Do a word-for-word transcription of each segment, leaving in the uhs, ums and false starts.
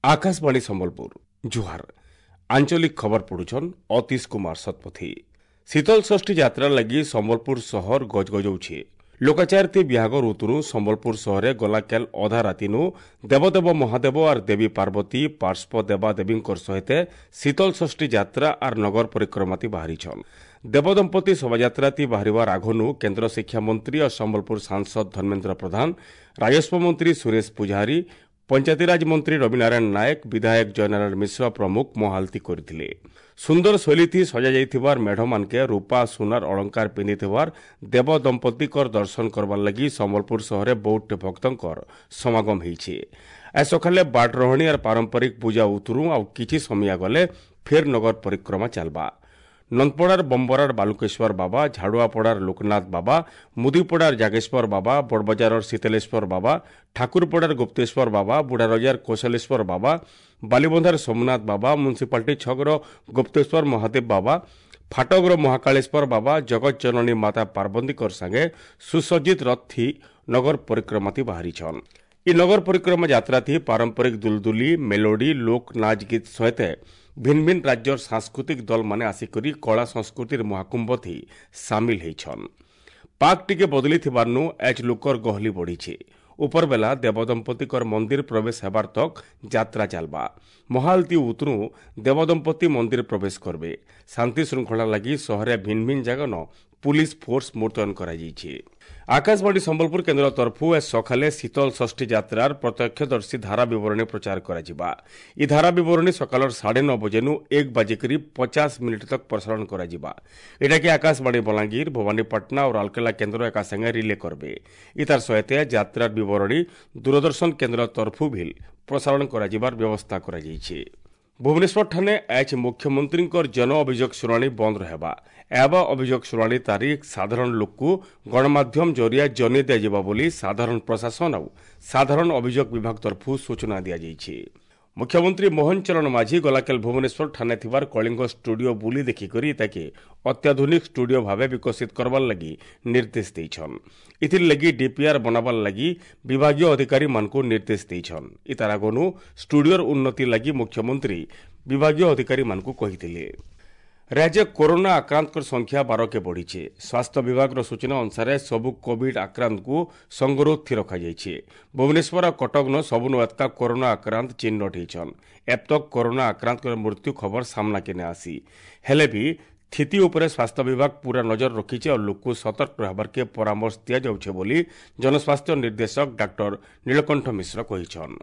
ଆକାଶବାଣୀ ସମ୍ବଲପୁର ଜୁହାର ଆଞ୍ଚଳିକ ଖବର ପଢୁଛନ୍ ଅତୀଶ କୁମାର ଶତପଥୀ ଶୀତଳ ଷଷ୍ଠୀ ଯାତ୍ରା ଲାଗି ସମ୍ବଲପୁର ସହର ଗଜଗଜଉଛି ଲୋକାଚାରତି ବିହାଗ ଋତୁରୁ ସମ୍ବଲପୁର ସହରେ ଗଲାକାଲ ଅଧା ରାତିନୁ ଦେବଦେବ ମହାଦେବ ଆର୍ ଦେବୀ ପାର୍ବତୀ ପାର୍ଶ୍ୱ ଦେବାଦେବୀଙ୍କର ସହିତ ଶୀତଳ ଷଷ୍ଠୀ ଯାତ୍ରା ଆର୍ ନଗର ପରିକ୍ରମାତି ବାହାରିଛନ୍ ଦେବଦମ୍ପତି ଶୋଭାଯାତ୍ରାତି ବାହାରିବାର ଆଘନୁ କେନ୍ଦ୍ର ଶିକ୍ଷାମନ୍ତ୍ରୀ ଓ ସମ୍ବଲପୁର ସାଂସଦ ଧର୍ମେନ୍ଦ୍ର ପ୍ରଧାନ ରାଜସ୍ୱ ମନ୍ତ୍ରୀ ସୁରେଶ ପୂଜାରୀ ପଞ୍ଚାୟତିରାଜ ମନ୍ତ୍ରୀ ରବିନାରାୟଣ ନାୟକ ବିଧାୟକ ଜୟନାରାୟଣ ମିଶ୍ର ପ୍ରମୁଖ ମହାଲତି କରିଥିଲେ ସୁନ୍ଦର ଶୈଳୀଥି ସଜାଯାଇଥିବାର ମେଢ଼ମାନକେ ରୂପା ସୁନାର ଅଳଙ୍କାର ପିନ୍ଧିଥିବାର ଦେବ ଦମ୍ପତିଙ୍କର ଦର୍ଶନ କରବାର ଲାଗି ସମ୍ବଲପୁର ସହରେ ବହୁତ ଭକ୍ତଙ୍କର ସମାଗମ ହେଇଛି ଆজ ସକାଳେ ବାଟରହଣୀ ଆର୍ ପାରମ୍ପରିକ ପୂଜା ଉତରୁ ଆଉ କିଛି ସମିଆ ଗଲେ ଫେର୍ ନଗର ପରିକ୍ରମା ଚାଲବା ନନ୍ଦପଡ଼ାର ବମ୍ବରାର ବାଲୁକେଶ୍ୱର ବାବା ଝାଡ଼ୁଆପଡ଼ାର ଲୋକନାଥ ବାବା ମୁଦିପଡ଼ାର ଜାଗେଶ୍ୱର ବାବା ବଡ଼ବଜାରର ଶୀତଲେଶ୍ୱର ବାବା ଠାକୁରପଡ଼ାର ଗୁପ୍ତେଶ୍ୱର ବାବା ବୁଢ଼ାରଜାର କୌଶଲେଶ୍ୱର ବାବା ବାଲିବନ୍ଧାର ସୋମନାଥ ବାବା ମ୍ୟୁନିସିପାଲିଟି ଛକର ଗୁପ୍ତେଶ୍ୱର ମହାଦେବ ବାବା ଫାଟକର ମହାକାଳେଶ୍ୱର ବାବା ଜଗତ ଜନନୀ ମାତା ପାର୍ବତୀଙ୍କର ସାଙ୍ଗେ ସୁସଜ୍ଜିତ ରଥି ନଗର ପରିକ୍ରମାତି ବାହାରିଛନ୍ ଇ ନଗର ପରିକ୍ରମା ଯାତ୍ରାଥି ପାରମ୍ପରିକ ଦୁଲଦୁଲି ମେଲୋଡି ଲୋକ ନାଚ ଗୀତ ସହିତ ଭିନ୍ ଭିନ୍ ରାଜ୍ୟର ସାଂସ୍କୃତିକ ଦଳମାନେ ଆସିକରି କଳା ସଂସ୍କୃତିର ମହାକୁମ୍ଭଥି ସାମିଲ ହେଇଛନ୍ ପାକ୍ ଟିକେ ବଦଳିଥିବାର୍ନୁ ଏଚ୍ ଲୋକର ଗହଲି ବଢ଼ିছে ଉପରବେଲା ଦେବଦମ୍ପତିଙ୍କର ମନ୍ଦିର ପ୍ରବେଶ ହେବାର ତକ୍ ଯାତ୍ରା ଚାଲବା ମହାଲତି ଉତରୁ ଦେବଦମ୍ପତି ମନ୍ଦିର ପ୍ରବେଶ କରବେ ଶାନ୍ତି ଶୃଙ୍ଖଳା ଲାଗି ସହରେ ଭିନ୍ ଭିନ୍ ଜାଗନ ପୁଲିସ ଫୋର୍ସ ମୁତୟନ କରାଯାଇଛି ଆକାଶବାଣୀ ସମ୍ବଲପୁର କେନ୍ଦ୍ର ତରଫୁ ଏ ସକାଳେ ଶୀତଳ ଷଷ୍ଠୀ ଯାତ୍ରାର ପ୍ରତ୍ୟକ୍ଷଦର୍ଶୀ ଧାରା ବିବରଣୀ ପ୍ରଚାର କରାଯିବା ଇ ଧାରା ବିବରଣୀ ସକାଳର ସାଢ଼େ ନଅ ବଜେନୁ ଏକ ବାଜିକରି ପଚାଶ ମିନିଟ୍ ତକ୍ ପ୍ରସାରଣ କରାଯିବା ଏଟାକି ଆକାଶବାଣୀ ବଲାଙ୍ଗୀର ଭବାନୀପାଟଣା ଓ ରାଉରକେଲା କେନ୍ଦ୍ର ଏକା ସାଙ୍ଗେ ରିଲେ କରବେ ଇତାର ସହିତ ଯାତ୍ରାର ବିବରଣୀ ଦୂରଦର୍ଶନ କେନ୍ଦ୍ର ତରଫୁ ଭିଲ୍ ପ୍ରସାରଣ କରାଯିବାର ବ୍ୟବସ୍ଥା କରାଯାଇଛି ଭୁବନେଶ୍ୱରଠାରେ ଆଜ ମୁଖ୍ୟମନ୍ତ୍ରୀଙ୍କର ଜନ ଅଭିଯୋଗ ଶୁଣାଣି ବନ୍ଦ ରହିବା ଏବା ଅଭିଯୋଗ ଶୁଣାଣି ତାରିଖ ସାଧାରଣ ଲୋକକୁ ଗଣମାଧ୍ୟମ ଜରିଆ ଜଣାଇ ଦିଆଯିବ ବୋଲି ସାଧାରଣ ପ୍ରଶାସନ ଆଉ ସାଧାରଣ ଅଭିଯୋଗ ବିଭାଗ ତରଫରୁ ସୂଚନା ଦିଆଯାଇଛି ମୁଖ୍ୟମନ୍ତ୍ରୀ ମୋହନ ଚରଣ ମାଝୀ ଗଲାକାଲି ଭୁବନେଶ୍ୱର ଠାନେ ଥିବାର କଳିଙ୍ଗ ଷ୍ଟୁଡିଓ ବୁଲି ଦେଖିକରି ତାକେ ଅତ୍ୟାଧୁନିକ ଷ୍ଟୁଡିଓ ଭାବେ ବିକଶିତ କରବାର ଲାଗି ନିର୍ଦ୍ଦେଶ ଦେଇଛନ୍ ଏଥିର୍ ଲାଗି ଡିପିଆର୍ ବନାବାର ଲାଗି ବିଭାଗୀୟ ଅଧିକାରୀମାନଙ୍କୁ ନିର୍ଦ୍ଦେଶ ଦେଇଛନ୍ ଇତାର ଆଗନୁ ଷ୍ଟୁଡିଓର ଉନ୍ନତି ଲାଗି ମୁଖ୍ୟମନ୍ତ୍ରୀ ବିଭାଗୀୟ ଅଧିକାରୀମାନଙ୍କୁ କହିଥିଲେ ରାଜ୍ୟ କରୋନା ଆକ୍ରାନ୍ତଙ୍କ ସଂଖ୍ୟା ବାରକେ ବଢ଼ିছে ସ୍ୱାସ୍ଥ୍ୟ ବିଭାଗର ସୂଚନା ଅନୁସାରେ ସବୁ କୋଭିଡ୍ ଆକ୍ରାନ୍ତଙ୍କୁ ସଙ୍ଗରୋଧଥି ରଖାଯାଇଛି ଭୁବନେଶ୍ୱର ଆଉ କଟକନ ସବୁନୁ ଏତକା କରୋନା ଆକ୍ରାନ୍ତ ଚିହ୍ନଟ ହେଇଛନ୍ ଏପ୍ତକ୍ କରୋନା ଆକ୍ରାନ୍ତଙ୍କର ମୃତ୍ୟୁ ଖବର ସାମ୍ନାକେ ନାଇଁ ଆସି ହେଲେ ବି ସ୍ଥିତି ଉପରେ ସ୍ୱାସ୍ଥ୍ୟ ବିଭାଗ ପୁରା ନଜର ରଖିছে ଆଉ ଲୋକକୁ ସତର୍କ ରହିବାର୍କେ ପରାମର୍ଶ ଦିଆଯାଉଛେ ବୋଲି ଜନସ୍ୱାସ୍ଥ୍ୟ ନିର୍ଦ୍ଦେଶକ ଡାକ୍ତର ନୀଳକଣ୍ଠ ମିଶ୍ର କହିଛନ୍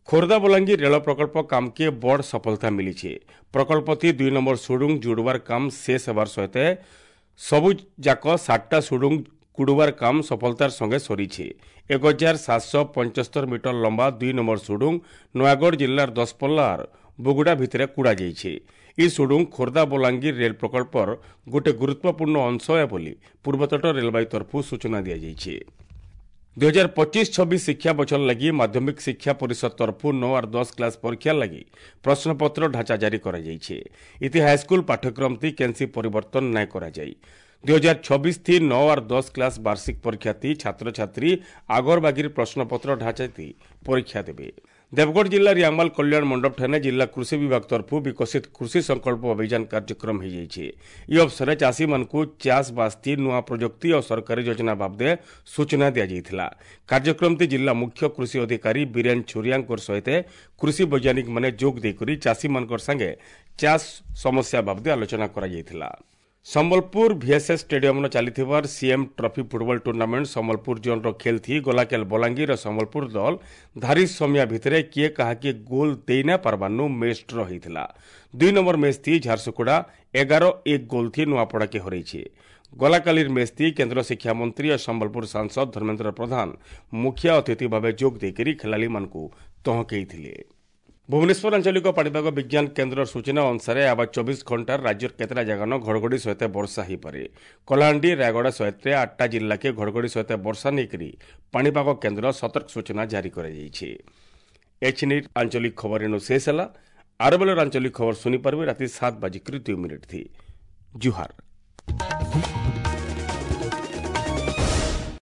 ଖୋର୍ଦ୍ଧା ବଲାଙ୍ଗୀର ରେଳ ପ୍ରକଳ୍ପ କାମକେ ବଡ଼ ସଫଳତା ମିଳିছে ପ୍ରକଳ୍ପଥି ଦୁଇ ନମ୍ବର ସୁଡୁଙ୍ଗ ଯୋଡ଼ବାର କାମ ଶେଷ ହେବାର ସହିତ ସବୁ ଯାକ ସାତଟା ସୁଡୁଙ୍ଗ କୁଡ଼ବାର କାମ ସଫଳତାର ସଙ୍ଗେ ସରିছে ଏକ ହଜାର ସାତଶହ ପଞ୍ଚସ୍ତର ମିଟର ଲମ୍ବା ଦୁଇ ନମ୍ବର ସୁଡୁଙ୍ଗ ନୟାଗଡ଼ ଜିଲ୍ଲାର ଦଶପଲ୍ଲାର ବୁଗୁଡ଼ା ଭିତରେ କୁଡ଼ାଯାଇଛି ଇ ସୁଡୁଙ୍ଗ ଖୋର୍ଦ୍ଧା ବଲାଙ୍ଗୀର ରେଳ ପ୍ରକଳ୍ପର ଗୋଟେ ଗୁରୁତ୍ୱପୂର୍ଣ୍ଣ ଅଂଶ ଏ ବୋଲି ପୂର୍ବତଟ ରେଳବାଇ ତରଫରୁ ସୂଚନା ଦିଆଯାଇଛି ଦୁଇ ହଜାର ପଚିଶ ଛବିଶ ଶିକ୍ଷା ବଛର ଲାଗି ମାଧ୍ୟମିକ ଶିକ୍ଷା ପରିଷଦ ତରଫରୁ ନଅ ଆର୍ ଦଶ କ୍ଲାସ୍ ପରୀକ୍ଷା ଲାଗି ପ୍ରଶ୍ନପତ୍ର ଢାଞ୍ଚା ଜାରି କରାଯାଇଛି ଇତି ହାଇସ୍କୁଲ ପାଠ୍ୟକ୍ରମତି କେନ୍ସି ପରିବର୍ତ୍ତନ ନାଇଁ କରାଯାଇ ଦୁଇ ହଜାର ଛବିଶ ଥି ନଅ ଆର୍ ଦଶ କ୍ଲାସ୍ ବାର୍ଷିକ ପରୀକ୍ଷା ଥି ଛାତ୍ରଛାତ୍ରୀ আগর ବାଗିର ପ୍ରଶ୍ନପତ୍ର ଢାଞ୍ଚାତି ପରୀକ୍ଷା ଦେବେ ଦେବଗଡ଼ ଜିଲ୍ଲା ରିଆମାଲ କଲ୍ୟାଣ ମଣ୍ଡପଠାରେ ଜିଲ୍ଲା କୃଷି ବିଭାଗ ତରଫରୁ ବିକଶିତ କୃଷି ସଂକଳ୍ପ ଅଭିଯାନ କାର୍ଯ୍ୟକ୍ରମ ହୋଇଯାଇଛି ଏହି ଅବସରରେ ଚାଷୀମାନଙ୍କୁ ଚାଷବାସଥି ନୂଆ ପ୍ରଯୁକ୍ତି ଓ ସରକାରୀ ଯୋଜନା ବାବଦେ ସୂଚନା ଦିଆଯାଇଥିଲା କାର୍ଯ୍ୟକ୍ରମଟି ଜିଲ୍ଲା ମୁଖ୍ୟ କୃଷି ଅଧିକାରୀ ବୀରେନ ଛୁରିଆଙ୍କର ସହିତ କୃଷି ବୈଜ୍ଞାନିକମାନେ ଯୋଗ ଦେଇକରି ଚାଷୀମାନଙ୍କର ସାଙ୍ଗେ ଚାଷ ସମସ୍ୟା ବାବଦେ ଆଲୋଚନା କରାଯାଇଥିଲା ସମ୍ବଲପୁର ଭିଏସ୍ଏସ୍ ଷ୍ଟାଡିୟମରେ ଚାଲିଥିବାର CM trophy football tournament Sambalpur ଜୋନ୍ର ଖେଲ୍ ଗଲାକାଲି ବଲାଙ୍ଗୀର ଓ ସମ୍ବଲପୁର ଦଳ ଧାରି ସମିଆ ଭିତରେ କିଏ କାହାକି ଗୋଲ ଦେଇ ନା ପାରବାର୍ନୁ ମ୍ୟାଚ୍ ଡ୍ର ହୋଇଥିଲା ଦୁଇ ନମ୍ବର ମ୍ୟାଚ୍ ଥି ଝାରସୁଗୁଡ଼ା ଏଗାର ଏକ ଗୋଲ ଥି ନୂଆପଡ଼ାକେ ହରାଇছে ଗଲାକାଲିର ମ୍ୟାଚ୍ ଥି କେନ୍ଦ୍ର ଶିକ୍ଷାମନ୍ତ୍ରୀ ଓ ସମ୍ବଲପୁର ସାଂସଦ ଧର୍ମେନ୍ଦ୍ର ପ୍ରଧାନ ମୁଖ୍ୟ ଅତିଥି ଭାବେ ଯୋଗ ଦେଇକରି ଖେଳାଳିମାନଙ୍କୁ ତହକେଇଥିଲେ ଭୁବନେଶ୍ୱର ଆଞ୍ଚଳିକ ପାଣିପାଗ ବିଜ୍ଞାନ କେନ୍ଦ୍ରର ସୂଚନା ଅନୁସାରେ ଆବା ଚବିଶ ଘଣ୍ଟାର ରାଜ୍ୟର କେତେଟା ଜାଗାନ ଘଡ଼ଘଡ଼ି ସହିତ ବର୍ଷା ହୋଇପାରେ କଳାହାଣ୍ଡି ରାୟଗଡ଼ା ସହିତ ଆଠଟା ଜିଲ୍ଲାକେ ଘଡ଼ଘଡ଼ି ସହିତ ବର୍ଷା ନେଇକରି ପାଣିପାଗ କେନ୍ଦ୍ର ସତର୍କ ସୂଚନା ଜାରି କରାଯାଇଛି ଏଛିନି ଆଞ୍ଚଳିକ ଖବର ଏନୁ ଶେଷ ହେଲା ଆର ବେଳର ଆଞ୍ଚଳିକ ଖବର ଶୁଣିପାରିବେ ରାତି ସାତ ବାଜିକରି ଦୁଇ ମିନିଟ୍ ଥି ଜୁହାର।